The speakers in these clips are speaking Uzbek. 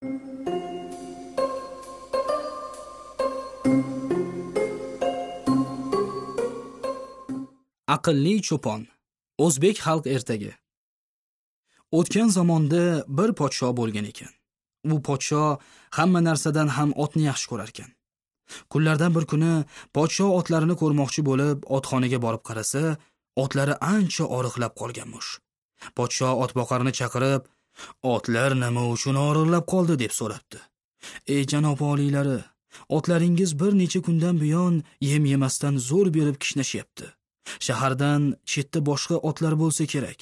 Aqlli cho'pon. O'zbek xalq ertagi. O'tgan zamonda bir podsho bo'lgan ekan. U podsho hamma narsadan ham otni yaxshi ko'rar ekan. Kunlardan bir kuni podsho otlarini ko'rmoqchi bo'lib, otxonaga borib qarasa, otlari ancha oriqlab qolganmish. Podsho otboqarni chaqirib, "Otlar nima uchun oriqlab qoldi?" deb so'rabdi. "Ey janob oliylari, otlaringiz bir necha kundan buyon yem yemasdan zo'r berib kishnashyapti. Shahardan chetda boshqa otlar bo'lsa kerak.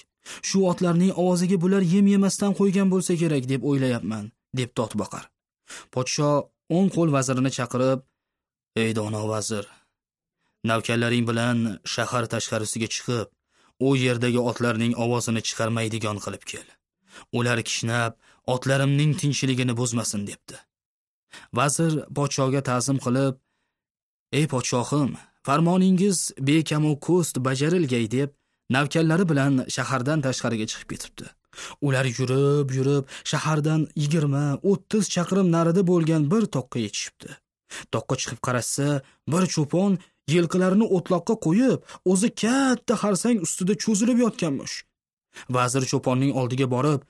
Shu otlarning ovoziga bular yem yemasdan qo'ygan bo'lsa kerak deb o'ylayapman", debdi otboqar. Podsho o'ng qo'l vazirini chaqirib, "Ey dono vazir, navkarlaring bilan shahar tashqarisiga chiqib, u yerdagi otlarning ovozini chiqarmaydigan qilib kel. Ular kishnab, otlarimning tinchligini buzmasin", debdi. Vazir podshoga ta'zim qilib, "Ey podshohim, farmoningiz bekamu ko'st bajarilgay", deb navkarlari bilan shahardan tashqariga chiqib ketibdi. Ular yurib-yurib shahardan 20-30 chaqirim narida bo'lgan bir toqqa yetishibdi. Toqqa chiqib qarasa, bir cho'pon yilqilarini o'tloqqa qo'yib, o'zi katta xarsang ustida cho'zilib yotganmish. Vazir cho'ponning oldiga borib,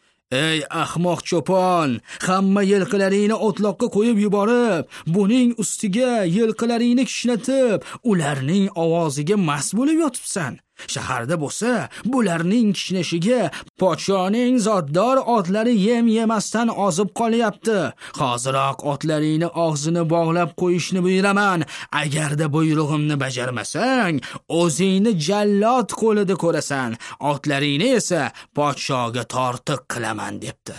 "Ey ahmoq cho'pon, hamma yilqilaringni o'tloqqa qo'yib yuborib, buning ustiga yilqilaringni kishnatib, ularning ovoziga mast bo'lib yotibsan. Shaharda bo'lsa, bularning kishnashiga podshoning zotdor otlari yem yemasdan ozib qolyapti. Hoziroq otlaringni og'zini bog'lab qo'yishni buyuraman. Agarda buyrug'imni bajarmasang, o'zingni jallod qo'lida ko'rasan. Otlaringni esa podshoga tortiq qilaman", debdi.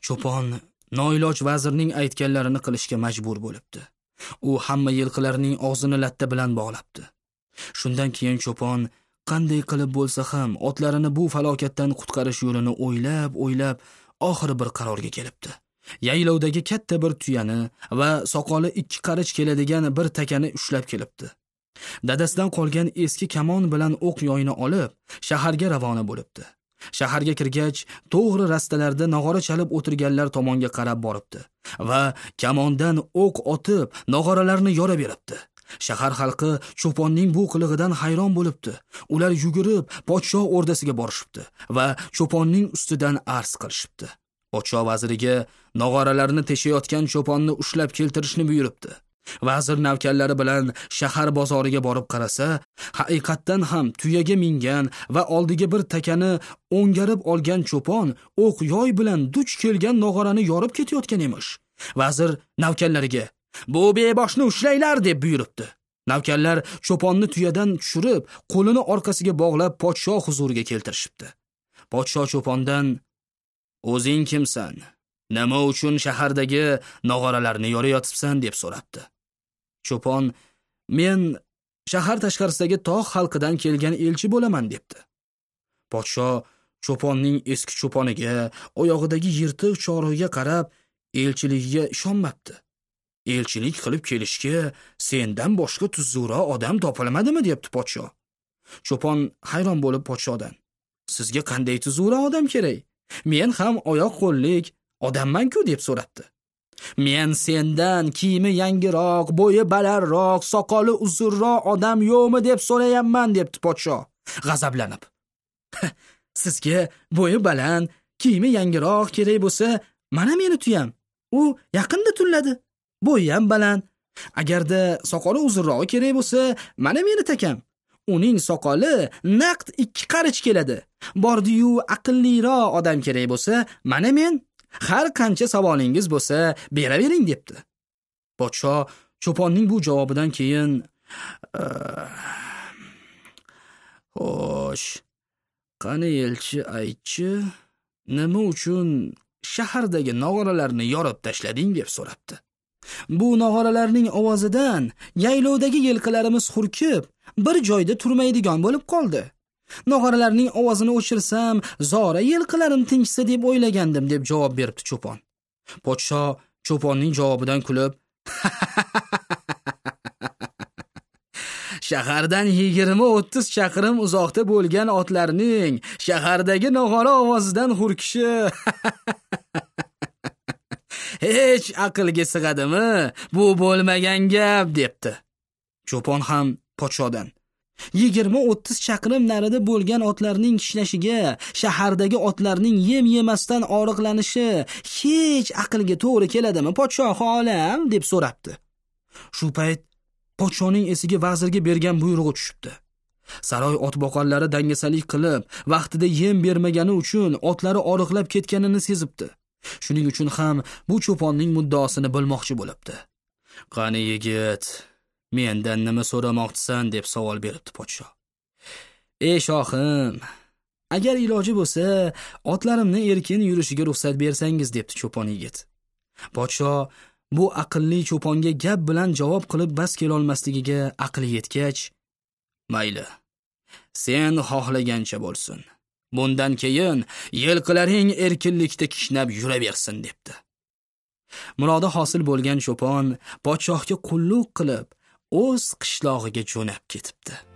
Cho'pon noiloj vazirning aytganlarini qilishga majbur bo'libdi. U hamma yilqilarning og'zini latta bilan bog'labdi. Shundan keyin cho'pon qanday qilib bo'lsa ham otlarini bu falokatdan qutqarish yo'lini o'ylab-o'ylab oxiri bir qarorga kelibdi. Yaylovdagi katta bir tuyani va soqoli 2 qarich keladigan bir takani ushlab kelibdi. Dadasidan qolgan eski kamon bilan o'q yoyini olib, shaharga ravona bo'libdi. Shaharga kirgach, to'g'ri rastalarda nog'ora chalib o'tirganlar tomonga qarab boribdi va kamondan o'q otib, nog'oralarni yora beribdi. Shahar xalqi cho'ponning bu qilig'idan hayron bo'libdi. Ular yugurib podsho o'rdasiga borishibdi va cho'ponning ustidan arz qilishibdi. Podsho vaziriga nog'oralarni teshayotgan cho'ponni ushlab keltirishni buyuribdi. Vazir navkarlari bilan shahar bozoriga borib qarasa, haqiqatdan ham tuyaga mingan va oldiga bir takani o'ngarib olgan cho'pon o'q yoy bilan duch kelgan nog'orani yorib ketayotgan emish. Vazir navkarlariga, "Bu beboshni ushlanglar", deb buyuribdi. Navkarlar cho'ponni tuyadan tushirib, qo'lini orqasiga bog'lab podsho huzuriga keltirishibdi. Podsho cho'pondan, "O'zing kimsan? Nima uchun shahardagi nog'oralarni yorayotibsan?" deb so'rabdi. Cho'pon, "Men shahar tashqarisidagi tog' xalqidan kelgan elchi bo'laman", debdi. Podsho cho'ponning eski cho'poniga, oyog'idagi yirtiq chorig'iga qarab, elchiligiga ishonmabdi. "Elchilik qilib kelishga sendan boshqa tuzukroq odam topilmadimi?" debdi podsho. Cho'pon hayron bo'lib podshodan, "Sizga qanday tuzukroq odam kerak? Men ham oyoq qo'llik odamman-ku", deb so'rabdi. "Men sendan kiyimi yangiroq, bo'yi balandroq, soqoli uzunroq odam yo'qmi deb so'rayapman", debdi podsho g'azablanib. "Sizga bo'yi baland, kiyimi yangiroq kerak bo'lsa, mana meni tuyam. U yaqinda tulladi. Bo'yi ham baland. Agarda soqoli uzunrog'i kerak bo'lsa, mana meni takam. Uning soqoli naqd 2 qarich keladi. Bordi-yu aqlliroq odam kerak bo'lsa, mana men. Har qancha savolingiz bo'lsa, beravering", debdi. Podsho cho'ponning bu javobidan keyin, "Xo'sh, qani elchi aytchi, nima uchun shahardagi nog'oralarni yorib tashlading?" deb so'rabdi. "Bu nog'oralarning ovozidan yaylovdagi yilqilarimiz hurkib, bir joyda turmaydigan bo'lib qoldi. Nog'oralarning ovozini o'chirsam, zora yilqilarim tinchsa deb o'ylagandim", deb javob beribdi cho'pon. Podsho cho'ponning javobidan kulib, Shahardan 20-30 chaqirim uzoqda bo'lgan otlarning shahardagi nog'ora ovozidan hurkishi Hech aqlga sig'adimi? Bu bo'lmagan gap, debdi. Cho'pon ham podshodan 20-30 chaqirim narida bo'lgan otlarning kishnashiga shahardagi otlarning yem yemasdan oriqlanishi hech aqlga to'g'ri keladimi, podshohi olam, deb so'rabdi. Shu payt podshoning esiga vazirga bergan buyrug'i tushibdi. Saroy otboqarlari dangasalik qilib, vaqtida yem bermagani uchun otlari oriqlab ketganini sezibdi. Shuning uchun ham bu cho'ponning muddaosini bilmoqchi bo'libdi. Qani yigit, mendan nima so'ramoqchisan, deb savol beribdi podsho. Ey shohim, agar iloji bo'lsa, otlarimni erkin yurishiga ruxsat bersangiz, debdi cho'pon yigit. Podsho bu aqlli cho'ponga gap bilan javob qilib bas kelolmasligiga aqli yetgach, mayli, sen xohlagancha bo'lsin. Bundan keyin yilqilaring erkinlikda kishnab yuraversin, debdi. Murodi hosil bo'lgan cho'pon podshohga qulluq qilib, o'z qishlog'iga jo'nab ketibdi.